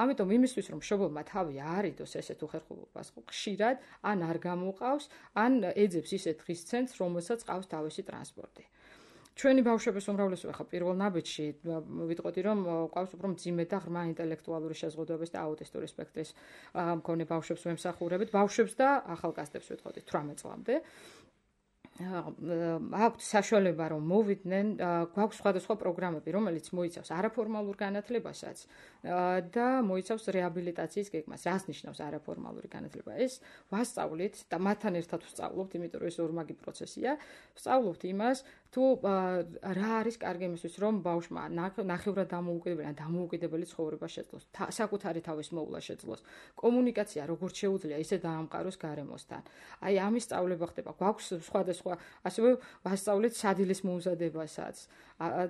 ამიტომ იმისთვის, რომ მშობელმა თავი არიდოს ესეთ უხერხულობას ხშირად, ან არ გამოყავს, ან ეძებს ისეთ დღის ცენტრს, რომელსაც ყავს თავისი ტრანსპორტი. ჩვენი ბავშვების უმრავლესობა ხა პირველ ნაბიჯში ვიტყოდი რომ ყავს უფრო მძიმე და ღრმა ინტელექტუალური შეზღუდვების და აუტისტური სპექტრის მქონე ბავშვებს ვემსახურებით, ბავშვებს და ახალგაზრდებს ვიტყოდი თვრამეტ წლამდე. აქვთ საშუალება რომ მოვიდნენ, გვაქვს სხვადასხვა პროგრამები, რომელიც მოიცავს არაფორმალურ განათლებასაც და მოიცავს რეაბილიტაციის გეგმას. რას ნიშნავს არაფორმალური განათლება? ეს ვასწავლით და მათთან ერთად ვსწავლობთ, იმიტომ რომ ეს ორმაგი პროცესია. ვსწავლობთ იმას, თუ რა არის კარგი იმისთვის, რომ ბავშვმა ნახევრად დამოუკიდებელი ან დამოუკიდებელი ცხოვრება შეძლოს, საკუთარი თავის მოვლა შეძლოს, კომუნიკაცია როგორც შეუძლია, ისე დაამყაროს გარემოსთან. აი ამის სწავლება ხდება. გვაქვს სხვადასხვა, ასევე ვასწავლეთ სადილის მომზადებასაც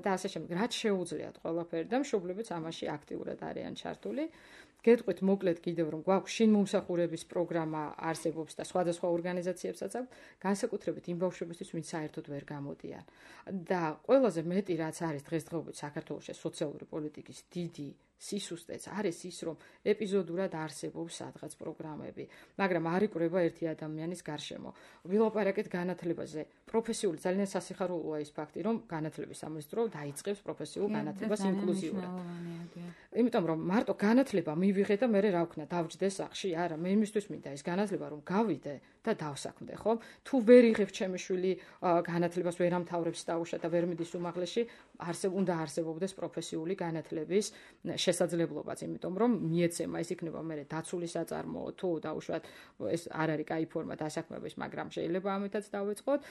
და ასე შემდეგ. რაც შეუძლიათ ყველაფერი და მშობლებიც ამაში აქტიურად არიან ჩართული. გეტყვით მოკლედ კიდევ რომ გვაქვს შინმომსახურების პროგრამა არსებობს და სხვადასხვა ორგანიზაციებსაც აქვს, განსაკუთრებით იმ ბავშვებისთვის, ვინც საერთოდ ვერ გამოდიან. და ყველაზე მეტი რაც არის დღესდღეობით საქართველოში სოციალური პოლიტიკის დიდი სისუსტეც არის ის, რომ ეპიზოდურად არსებობს სადღაც პროგრამები, მაგრამ არ იკვრება ერთი ადამიანის გარშემო. ვილაპარაკეთ განათლებაზე. პროფესიული ძალიან სასიხარულოა ის ფაქტი, რომ განათლების სამინისტრო დაიწყებს პროფესიულ განათლებას ინკლუზიურად. იმიტომ რომ მარტო განათლება მივიღე და მე რა ვქნა, დავჯდე სახში, არა, მე იმისთვის მინდა ეს განათლება რომ გავიდე და დავსაქმდე, ხო? თუ ვერ იღებ ჩემი შვილი განათლებას, ვერ ამთავრებს დაუშვა და ვერ მიდის უმაღლესში, არსებ უნდა არსებობდეს პროფესიული განათლების შესაძლებლობაც, იმიტომ რომ მიეცემა ეს იქნება მე დაცული საწარმოო, თუ დაუშვათ ეს არ არის კაი ფორმა დასაქმების, მაგრამ შეიძლება ამითაც დავეწყოთ.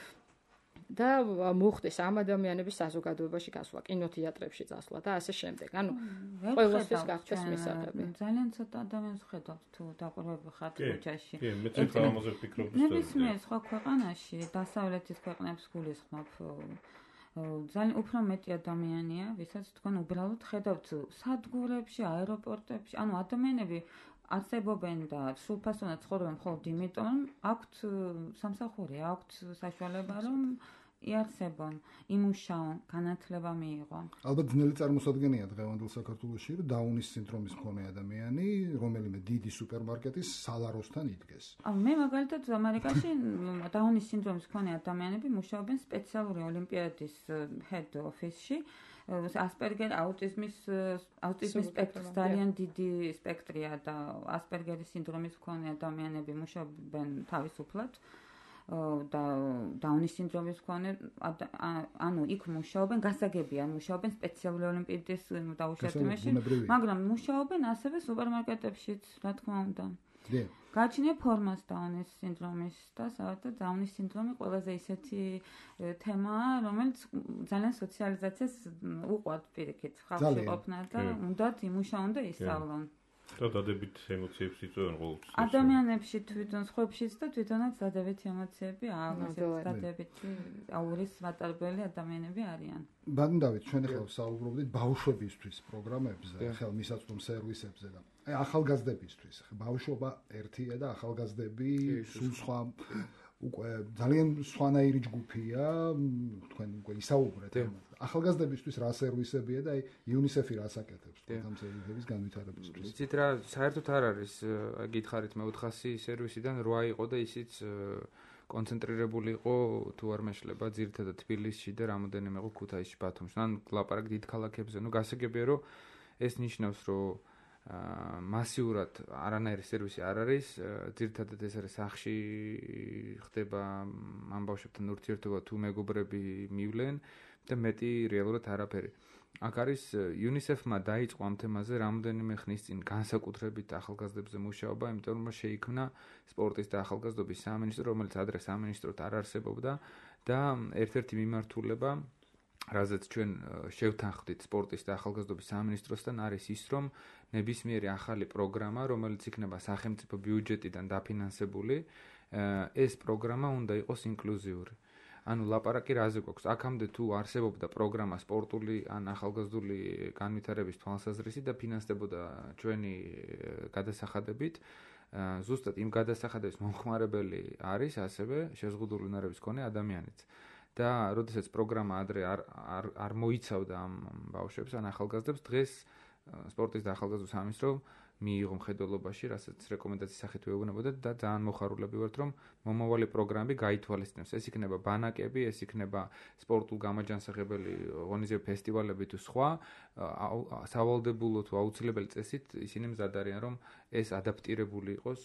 და მოხდეს ამ ადამიანების საზოგადოებაში გასვლა, კინოთეატრებში წასვლა და ასე შემდეგ. ანუ ყველასთვის გახდეს მისაღები. ძალიან ცოტა ადამიანს ხედავთ თუ დაყურებული ხართ ქუჩაში. კი, მე ცოტა ამაზე ვფიქრობ. ნებისმიერ სხვა ქვეყანაში, დასავლეთის ქვეყნებს გულისხმობ, ძალიან უფრო მეტი ადამიანია, ვისაც თქვენ უბრალოდ ხედავთ სადგურებში, აეროპორტებში, ანუ ადამიანები არსებობენ და სრულფასოვნად ცხოვრობენ მხოლოდ იმიტომ, რომ აქვთ სამსახური, აქვთ საშუალება, რომ იარსებონ, იმუშაონ, განათლება მიიღონ. ალბათ ძნელი წარმოსადგენია დღევანდელ საქართველოში, რომ დაუნის სინდრომის მქონე ადამიანი, რომელიმე დიდი სუპერმარკეტის სალაროსთან იდგეს. მე მაგალითად ამერიკაში დაუნის სინდრომის მქონე ადამიანები მუშაობენ სპეციალური ოლიმპიადის head office-ში. ასპერგერ აუტიზმის აუტიზმის სპექტრის ძალიან დიდი სპექტრია და ასპერგერის სინდრომის მქონე ადამიანები მუშაობენ თავისუფლად და დაუნის სინდრომის მქონე ანუ იქ მუშაობენ გასაგებია მუშაობენ სპეციალური ოლიმპიადის დაუშვებაში მაგრამ მუშაობენ ასევე სუპერმარკეტებშიც რა თქმა უნდა გაჩნია ფორმას დაუნის სინდრომის და საერთოდ დაუნის სინდრომი ყველაზე ისეთი თემაა, რომელიც ძალიან სოციალიზაციას უყვართ პირიქით ხალხში ყოფნა და უნდათ იმუშაონ და ისწავლონ. და დადებით ემოციებს იწვევენ ყოველთვის. ადამიანებში თვითონ სხვებშიც და თვითონაც დადებითი ემოციები აქვს, დადებითი აურის მატარებელი ადამიანები არიან. ბანდავით ჩვენ ახლა საუბრობდით ბავშვებისთვის პროგრამებზე, ახლა მისაწვდომ სერვისებზე და აი ახალგაზრდებისთვის. ბავშვობა ერთია და ახალგაზრდები სულ სხვა უკვე ძალიან სხვანაირი ჯგუფია, თქვენ უკვე ისაუბრეთ ამაზე. ახალგაზრდებისთვის რა სერვისებია და აი იუნისეფი რას აკეთებს ამ სერვისების განვითარებისთვის. იცით რა, საერთოდ არ არის, გითხარით მე ოთხასი სერვისიდან რვა იყო და ისიც კონცენტრირებული იყო თუ არ მეშლება ძირითადად თბილისში და რამოდენიმე იყო ქუთაისში, ბათუმში. ან ლაპარაკ დიდ ქალაქებზე, ну გასაგებია რომ ეს ნიშნავს რომ მასიურად არანაირი სერვისი არ არის, ძირითადად ეს არის სახში ხდება ამ ბავშვებთან ურთიერთობა თუ მეგობრები მივლენ და მეტი რეალურად არაფერი. აქ არის იუნისეფმა დაიწყო ამ თემაზე რამდენიმე ხნის წინ განსაკუთრებით ახალგაზრდებზე მუშაობა, იმიტომ რომ შეიქმნა სპორტის და ახალგაზრდობის სამინისტრო, რომელიც ადრე სამინისტროდ არ არსებობდა და ერთ-ერთი მიმართულება რაზეც ჩვენ შევთანხმდით სპორტის და ახალგაზრდობის სამინისტროსთან არის ის, რომ ნებისმიერი ახალი პროგრამა, რომელიც იქნება სახელმწიფო ბიუჯეტიდან დაფინანსებული, ეს პროგრამა უნდა იყოს ინკლუზიური. ანუ ლაპარაკი რაზე გვაქვს? აქამდე თუ არსებობდა პროგრამა სპორტული ან ახალგაზრდული განვითარების თვალსაზრისით და ფინანსდებოდა ჩვენი გადასახადებით, ზუსტად იმ გადასახადების მომხმარებელი არის ასევე შეზღუდული უნარების მქონე ადამიანიც. და როდესაც პროგრამა ადრე არ არ არ მოიცავდა ამ ბავშვებს ან ახალგაზრდებს, დღეს სპორტის და ახალგაზრდულ სამინისტრომ მიიღო მხედველობაში, რასაც რეკომენდაციის სახით ვეუბნებოდა და ძალიან მოხარულები ვართ, რომ მომავალი პროგრამები გაითვალისწინებს. ეს იქნება ბანაკები, ეს იქნება სპორტულ გამაჯანსაღებელი ღონისძიებები, ფესტივალები თუ სხვა, სავალდებულო თუ აუცილებელი წესით ისინი მზად არიან, რომ ეს ადაპტირებული იყოს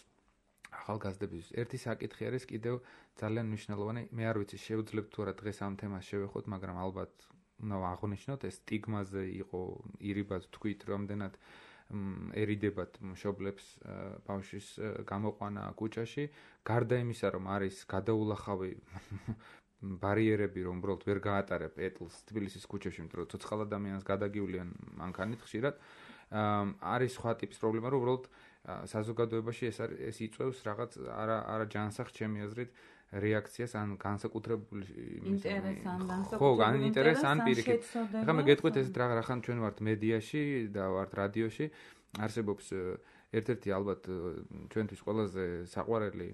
ახალგაზრდების. ერთი საკითხი არის კიდევ ძალიან მნიშვნელოვანი, მე არ ვიცი შევძლებთ თუ არა დღეს ამ თემას შევეხოთ, მაგრამ ალბათ უნდა აღნიშნოთ, ეს სტიგმაზე იყო ირიბად თქვით, რამდენად ერიდებათ მშობლებს ბავშვის გამოყვანა კუჭაში, გარდა იმისა, რომ არის გადაულახავი ბარიერები, რომ უბრალოდ ვერ გაატარებ ეტლს თბილისის ქუჩებში, იმიტომ რომ ცოცხალ ადამიანს გადაგივლიან მანქანით ხშირად, არის სხვა ტიპის პრობლემა, რომ უბრალოდ საზოგადოებაში ეს ეს იწვევს რაღაც არა არა ჯანსაღ ჩემი აზრით რეაქციას ან განსაკუთრებული ინტერესს ან ხო, ან ინტერესს ან პირიქით. ახლა მე გეტყვით ეს რახან ჩვენ ვართ მედიაში და ვართ რადიოში, არსებობს ერთ-ერთი ალბათ ჩვენთვის ყველაზე საყვარელი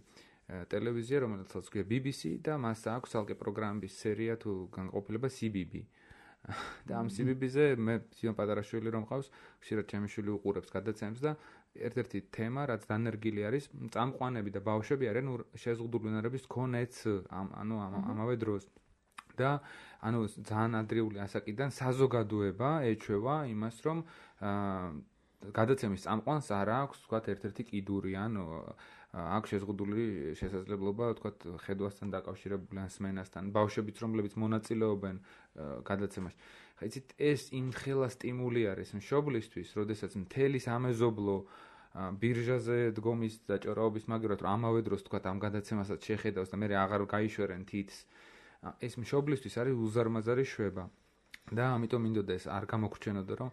ტელევიზია, რომელსაც ქვია ბი ბი სი და მას აქვს ალკე პროგრამების სერია თუ განყოფილება სი ბი ბი. და ამ სი ბი ბი-ზე მე სიონ პატარაშვილი რომ ყავს, ხშირად ჩემი შვილი უყურებს გადაცემებს და ერთ-ერთი თემა, რაც დანერგილი არის, წამყვანები და ბავშვები არიან შეზღუდული უნარების მქონეც, ანუ ამავე დროს. და ანუ ძალიან ადრეული ასაკიდან საზოგადოება ეჩვევა იმას, რომ გადაცემის წამყვანს არ აქვს, ვთქვათ, ერთ-ერთი კიდური, ანუ აქვს შეზღუდული შესაძლებლობა, ვთქვათ, ხედვასთან დაკავშირებული ან სმენასთან, ბავშვებიც, რომლებიც მონაწილეობენ გადაცემაში. ხა იცით, ეს იმხელა სტიმული არის მშობლისთვის, როდესაც მთელი სამეზობლო ბირჟაზე დგომის და ჭორაობის მაგრად, რომ ამავე დროს, ვთქვათ, ამ გადაცემასაც შეხედავს და მე აღარ გაიშვერენ თითს. ეს მშობლისთვის არის უზარმაზარი შვება. და ამიტომ მინდოდა ეს არ გამოგრჩენოდა, რომ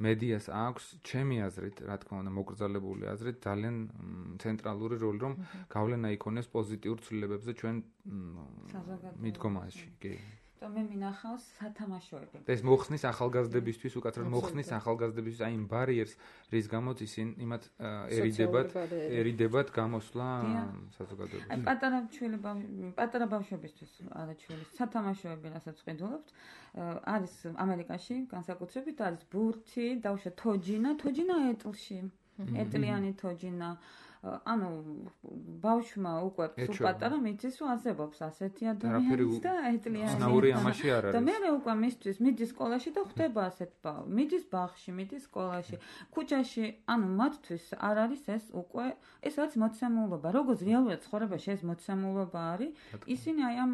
მედიას აქვს, ჩემი აზრით, რა თქმა უნდა, მოკრძალებული აზრით, ძალიან ცენტრალური როლი, რომ გავლენა იქონეს პოზიტიურ ცვლილებებზე ჩვენ მიდგომაში. კი. და მე მინახავს სათამაშოები. ეს მოხსნის ახალგაზრდებისთვის, უკაცრავად მოხსნის ახალგაზრდებისთვის აი იმ ბარიერს, რის გამოც ისინი იმათ ერიდებათ, ერიდებათ გამოსვლა საზოგადოებაში. აი პატარა ჩვილი პატარა ბავშვებისთვის არაჩვილი სათამაშოები, რასაც ვყიდულობთ, არის ამერიკაში განსაკუთრებით არის ბურთი, დავშა თოჯინა, თოჯინა ეტლში. ეტლიანი თოჯინა. ანუ ბავშვმა უკვე სულ პატარა მიწის უაზებობს ასეთი ადამიანს და ეტლიანი. ნაური ამაში არ არის. და მე უკვე მისთვის მიდის სკოლაში და ხვდება ასეთ ბავშვი. მიდის ბაღში, მიდის სკოლაში, ქუჩაში, ანუ მათთვის არ არის ეს უკვე ეს რაც მოცემულობა. როგორც რეალურად ცხოვრებაში ეს მოცემულობა არის, ისინი აი ამ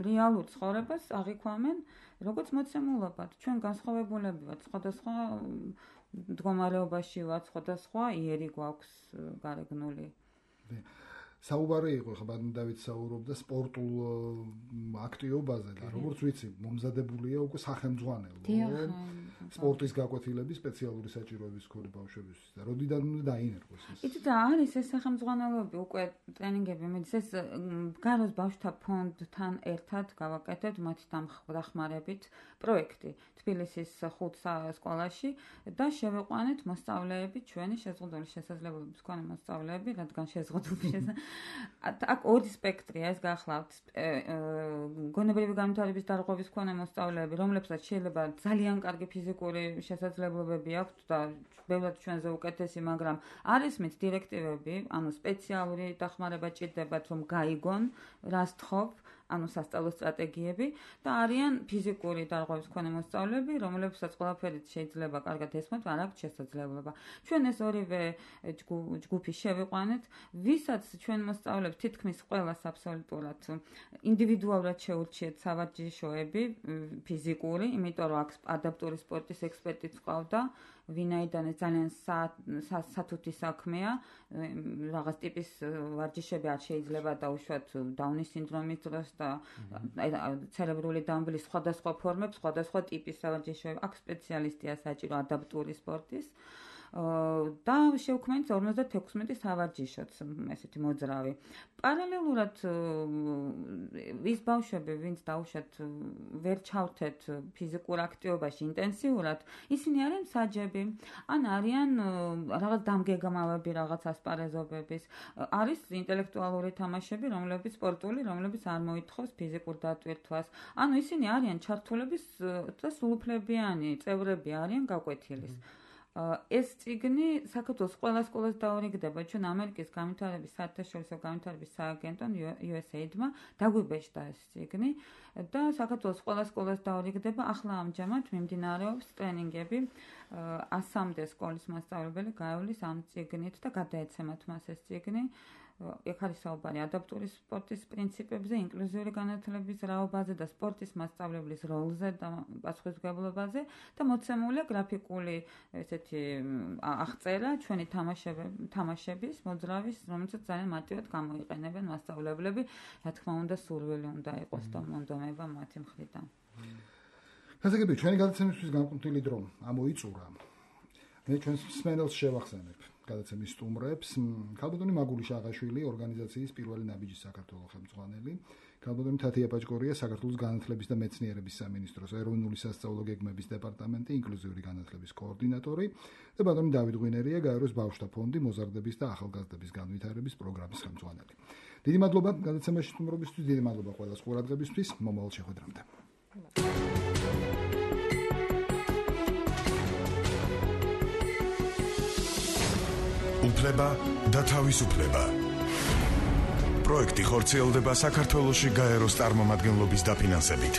რეალურ ცხოვრებას აღიქვამენ როგორც მოცემულობად. ჩვენ განსხვავებულები ვართ სხვადასხვა მდგომარეობაში ვართ, სხვადასხვა იერი გვაქვს გარეგნული. საუბარი იყო ხა ბატონ დავით საუბრობდა სპორტულ აქტივობაზე და როგორც ვიცი, მომზადებულია უკვე სახელმძღვანელო სპორტის გაკვეთილების სპეციალური საჭიროების მქონე ბავშვებისთვის და როდიდან უნდა დაინერგოს ეს? იცით და არის ეს სახელმძღვანელოები უკვე ტრენინგები, მეც ეს გაროს ბავშვთა ფონდთან ერთად გავაკეთებთ მათი დამხმარებით პროექტი თბილისის ხუთ სკოლაში და შევიყვანეთ მოსწავლეები, ჩვენი შეზღუდული შესაძლებლობების მქონე მოსწავლეები, რადგან შეზღუდული აქ ორი სპექტრია ეს გახლავთ. გონებრივი განვითარების დარღვევის მქონე მოსწავლეები, რომლებსაც შეიძლება ძალიან კარგი ფიზიკური შესაძლებლობები აქვთ და ბევრად ჩვენზე უკეთესი, მაგრამ არის მით დირექტივები, ანუ სპეციალური დახმარება ჭირდებათ, რომ გაიგონ, რას თხოვ, ანუ სასწავლო სტრატეგიები და არიან ფიზიკური დარღვევის მქონე მოსწავლეები, რომლებსაც ყველაფერი შეიძლება კარგად ესმოთ, არ აქვს შესაძლებლობა. ჩვენ ეს ორივე ჯგუფი შევიყვანეთ, ვისაც ჩვენ მოსწავლეებს თითქმის ყველას აბსოლუტურად ინდივიდუალურად შეურჩიეთ სავარჯიშოები ფიზიკური, იმიტომ რომ აქ ადაპტური სპორტის ექსპერტიც ყავდა, ვინაიდან ეს ძალიან სათუთი საქმეა, რაღაც ტიპის ვარჯიშები არ შეიძლება დაუშვათ დაუნის სინდრომის დროს და ცერებრული დამბლის სხვადასხვა ფორმებს, სხვადასხვა ტიპის სავარჯიშოები. აქ სპეციალისტია საჭირო ადაპტური სპორტის. და შევქმნით ორმოცდათექვსმეტი სავარჯიშოც ესეთი მოძრავი. პარალელურად ის ბავშვები, ვინც დაუშვათ ვერ ჩავთეთ ფიზიკურ აქტივობაში ინტენსიურად, ისინი არიან საჯები, ან არიან რაღაც დამგეგმავები, რაღაც ასპარეზობების, არის ინტელექტუალური თამაშები, რომლებიც სპორტული, რომლებიც არ მოითხოვს ფიზიკურ დატვირთვას. ანუ ისინი არიან ჩართულების და სრულუფლებიანი წევრები არიან გაკვეთილის. ეს წიგნი საქართველოს ყველა სკოლას დაურიგდება. ჩვენ ამერიკის განვითარების საერთაშორისო განვითარების სააგენტომ იუ ეს ეიდმა დაგვიბეჭდა ეს წიგნი და საქართველოს ყველა სკოლას დაურიგდება. ახლა ამჯამად მიმდინარეობს ტრენინგები ასამდე სკოლის მასწავლებელი გაივლის ამ წიგნით და გადაეცემათ მას ეს წიგნი. ეგ არის საუბარი ადაპტური სპორტის პრინციპებზე, ინკლუზიური განათლების რაობაზე და სპორტის მასწავლებლის როლზე და პასუხისმგებლობაზე და მოცემულია გრაფიკული ესეთი აღწერა ჩვენი თამაშების, მოძრავის, რომელსაც ძალიან მარტივად გამოიყენებენ მასწავლებლები, რა თქმა უნდა, სურვილი უნდა იყოს და მონდომება მათი მხრიდან. გასაგებია, ჩვენი გადაცემისთვის განკუთვნილი დრო ამოიწურა. მე ჩვენს მსმენელს შევახსენებ გადაცემის სტუმრებს. ქალბატონი მაგული შაღაშვილი, ორგანიზაციის პირველი ნაბიჯი საქართველოს ხელმძღვანელი, ქალბატონი თათია პაჭკორია, საქართველოს განათლების და მეცნიერების სამინისტროს ეროვნული სასწავლო გეგმების დეპარტამენტი, ინკლუზიური განათლების კოორდინატორი და ბატონი დავით ღვინერია, გაეროს ბავშვთა ფონდი, მოზარდების და ახალგაზრდების განვითარების პროგრამის ხელმძღვანელი. დიდი მადლობა გადაცემაში სტუმრობისთვის, დიდი მადლობა ყველას ყურადღებისთვის, მომავალ შეხვედრამდე. უფლება და თავისუფლება. პროექტი ხორციელდება საქართველოში გაეროს წარმომადგენლობის დაფინანსებით.